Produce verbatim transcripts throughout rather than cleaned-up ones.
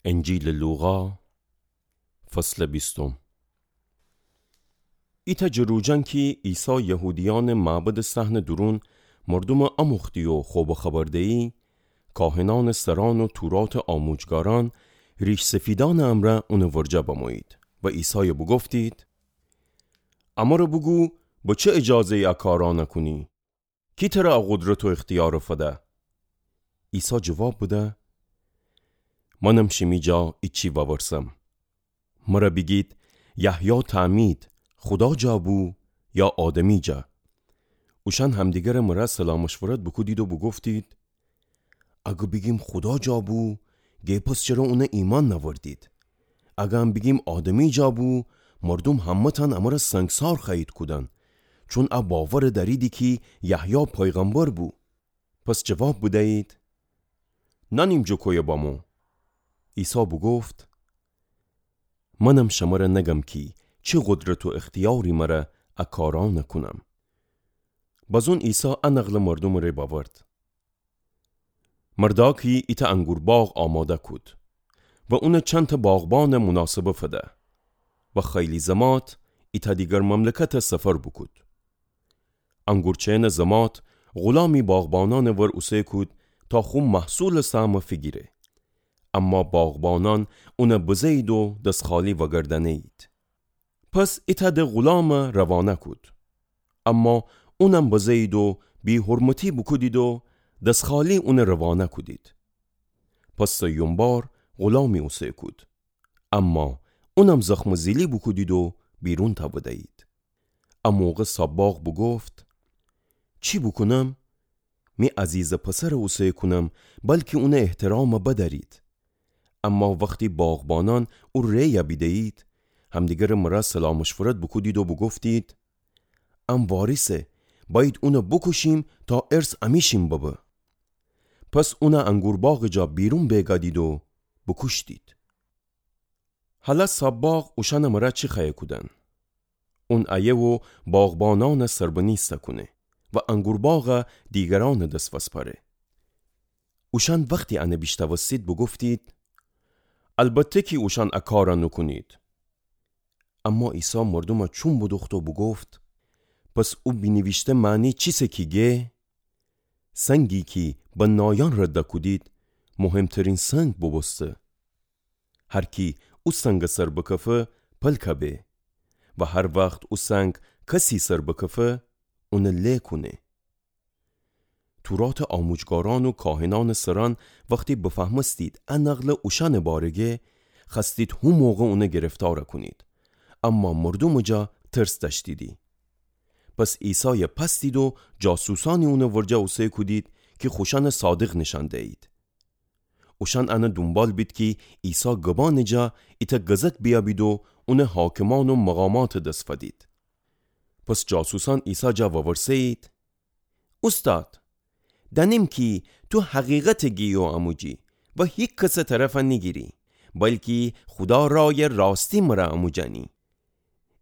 انجیلٚ لوقا، فصلٚ بیستم. ایتأ جٚه روجأن کی عیسی یهودیأنٚ معبدٚ صحنٚ دورون مردومٚ آموختی و خو بخبر دیی، کاهنأنٚ سرأن و توراتٚ آموجگارأن ریش‌سفیدأنٚ امرأ اونٚ ورجه بمویید و عیسای بوگفتید: امر بوگو، به چه اجازه‌یی ا کارأن کونی؟ کی تر ا قدرت و اختیار فده؟ عیسی جواب بده: منم شیمی جا ایچی وورسم. مر بیگید، یحیی تعمید خودا جا بو یا آدمی جا؟ اوشأن همدیگر مر سلامشورت بوکودید و بوگفتید: اگه بیگیم خودا جا بو، گه پس چره اون ایمأن نأوردید؟ اگه هم بیگیم آدمی جا بو، مردوم همه‌تأن امر سنگسار خوأیید کودن، چون ا باور دأریدی کی یحیی پیغمبر بو. پس جواب بدیید: نأنیم جٚه کویه بمو. عیسی بوگفت: منم شمر نگم کی چی قدرت و اختیاری مر ا کارأن کونم. بزون عیسی ا نقل مردومٚ ره بأورد: مردأکی ایتأ انگور باغ آماده کود و اون چندتأ باغبان مناسبه فده و خیلی زمات ایتأ دیگر مملکت سفر بوکود. انگورچینٚ زمات غولامی باغبانأنٚ ور اوسه کود تا خو محصولٚ سهم فیگیره. اما باغبانأن اون بزه‌یید و دس‌خالی وگردأنه‌یید. پس ایتأ د غولام روانه کود. اما اونم بزه‌یید و بی‌حرمتی بوکودید و دس‌خالی اون روانه کودید. پس سیوم بار غولامی اوسه کود. اما اونم زخم‌زیلی بوکودید و بیرون تأوده‌یید. ا موقع صاب‌باغ بوگفت: چی بوکونم؟ می عزیزٚ پسر اوسه کونم، بلکی اونٚ احترام بدأرید. اما وختی باغبانأن او ریه بیده‌یید، همدیگرٚ مر سلامشورت بوکودید و بوگفتید: ام وارثه، بأیید اون بوکوشیم تا ارث امیشیم ببه. پس اون انگور باغٚ جا بیرون بیگادید و بوکوشتید. هلأ صاب‌باغ اوشأنٚ مر چی خوأیه کودن؟ اون ایه و باغبانأن سربنیسته کونه و انگور باغ دیگرأنٚ دس وسپأره. اوشأن وختی ان بیشتأوستید بوگفتید: البته کی اوشأن ا کار نوکونید. اما عیسی مردوم چوم بودوخت و بوگفت: پس او بینیویشته معنی چیسه کی گه؟ سنگی کی بنایأن رد کودید، مهمترین سنگ بوبوسته. هر کی او سنگ سر بکفه، پلکه به. و هر وخت او سنگ کسی سر بکفه، اون له کونه. توراتٚ آموجگارأن و کاهنأنٚ سرأن وختی بفهمستید ا نقل اوشأنٚ باره گه، خوأستید هو موقع اون گرفتار کونید. اما مردومٚ جا ترس دأشتیدی. پس عیسای پستید و جاسوسأنی اونٚ ورجه اوسه کودید کی خوشأنٚ صادق نیشأن دیید. اوشأن ان دونبال بید کی عیسی گبانٚ جا ایتأ گزک بیابید و اون حاکمأن و مقاماتٚ دس فدید. پس جاسوسأن عیسی جا وورسه‌یید: اوستاد، دأنیم کی تو حقیقت گیی و اموجی و هیکسٚ طرف نیگیری، بلکی خودا رای راستی مر اموجأنی.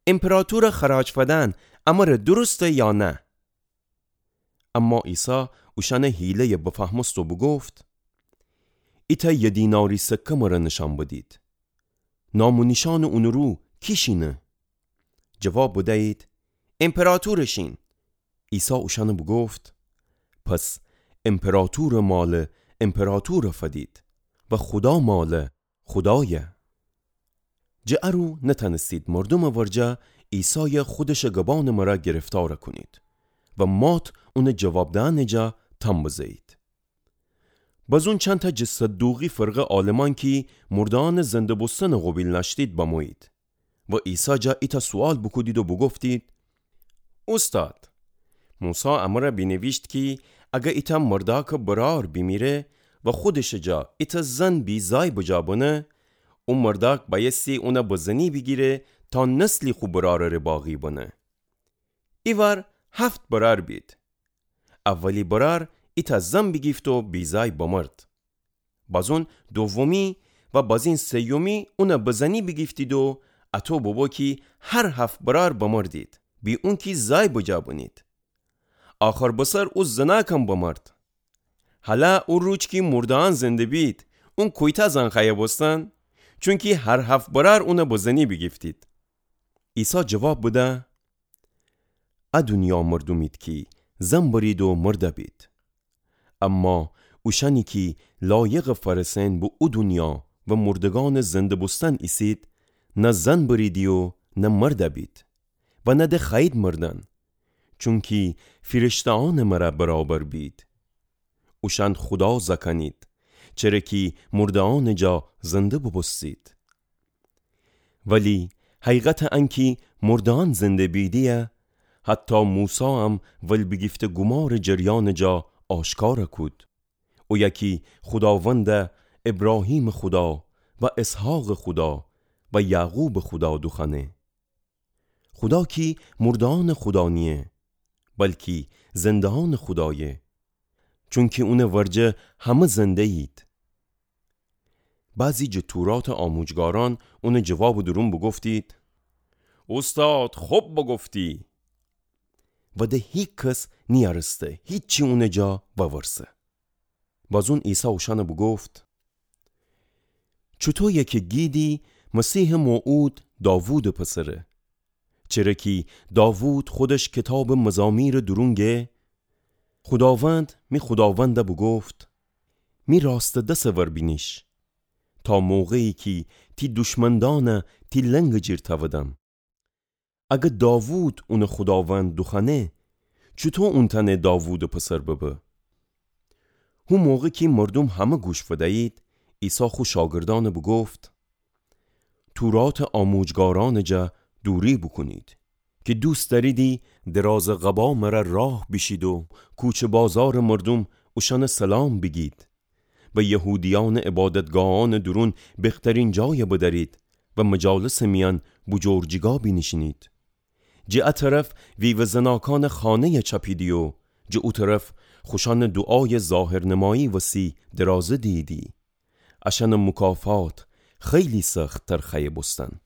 امپراطور خراج فدن امر درسته یا نه؟ اما عیسی اوشأنٚ حیله‌ی بفهمست و بوگفت: ایتأ یه دیناری سکه مر نیشأن بدید. نام و نیشأنٚ اونٚ رو کی شینه؟ جواب بدیید: امپراطور شین. عیسی اوشأن بوگفت: پس امپراطورٚ مال امپراطور فدید و خودا مال خودایه. جٚه ا رو نتأنستید مردومٚ ورجه عیسای خودشٚ گبانٚ مر گرفتار کونید و مات اونٚ جواب دئنٚ جا تأم بزه‌یید. بزون چندتأ جٚه صدوقی فرقه عالمأن کی مرده‌یأنٚ زنده بوستنٚ قوبیل نأشتید بمویید و عیسی جا ایتأ سوئال بوکودید و بوگفتید: اوستاد، موسی امر بینیویشت کی اگر ایتأ مردأکٚ برأر بیمیره و خودشٚ جا ایتأ زن بی‌زای بجا بنه، او مردأک بأیستی اون بزنی بیگیره تا نسلی خو برأرٚ ره باقی بنه. ایوار هفت برأر بید. اولی برأر ایتأ زن بیگیفت و بی‌زای بمرد. بزون دومی و بزین سیومی اون بزنی بیگیفتید و اطو ببو کی هر هفت برأر بمردید، بی اونکی زای بجا بنید. آخر بسر او زنأکم بمرد. هلأ او روج کی مرده‌یأن زنده بید، اون کویتأ زن خوأیه بوستن؟ چونکی هر هفت برأر اونَ بزنی بیگیفتید. عیسی جواب بده: ا دونیا مردومید کی زن برید و مرده بید. اما اوشأنی کی لایقٚ فأرسئن به او دونیا و مردگأنٚ زنده بوستن ایسید، نه زن بریدی و نه مرده بید و نه ده خوأیید مردن، چونکی فیرشته‌أنٚ مرأ برابر بید. اوشأن خودا زأکأنید، چره کی مرده‌أنٚ جا زنده بوبوستید. ولی حقیقتٚ انکی مرده‌أن زنده بیدی‌یه، حتی موسایم ول بیگیفته گومارٚ جریانٚ جا آشکار کود. اویه کی خوداوندَ ابراهیمٚ خودا و اسحاقٚ خودا و یعقوبٚ خودا دوخوأنه. خودا کی مرده‌أنٚ خودا نییه، بلکی زنده‌أنٚ خودایه، چونکی اونٚ ورجه همه زنده‌یید. بعضی جٚه توراتٚ آموجگارأن اونٚ جوابٚ دورون بوگفتید: اوستاد، خب بوگفتی. و ده هیکس نیأرسته هیچی اونٚ جا وورسه. بازون عیسی اوشأنَ بوگفت: چوطویه کی گیدی مسیحٚ موعود داوودٚ پسره؟ چره کی داوود خودش کیتابٚ مزامیرٚ دورون گه: خوداوند می خوداوندَ بوگفت: می راستٚ دسٚ ور بینیش، تا موقعی کی تی دشمندأنَ تی لنگٚ جیر تأودم. اگر داوود اونٚ خوداوند دوخوأنه، چوطو اون تأنه داوودٚ پسر ببه؟ هو موقع کی مردوم همه گوش فدیید، عیسی خو شاگردأنَ بوگفت: توراتٚ آموجگارأنٚ جا دوری بوکونید، کی دوست دأریدی درازٚ قبا مرأ راه بیشید و کوچه بازارٚ مردوم اوشأنَ سلام بیگید و یهودیأنٚ عبادتگاهأنٚ دورون بخترین جایَ بدأرید و مجالسٚ میأن بوجور جیگا بینیشینید. جٚه ا طرف ویوه زناکأنٚ خانه‌یَ چأپیدی و جٚه او طرف خوشأنٚ دوعایٚ ظاهرنمایی وسی درازه دییدی. اشأنٚ مکافات خیلی سخت‌تر خوأیه بوستن.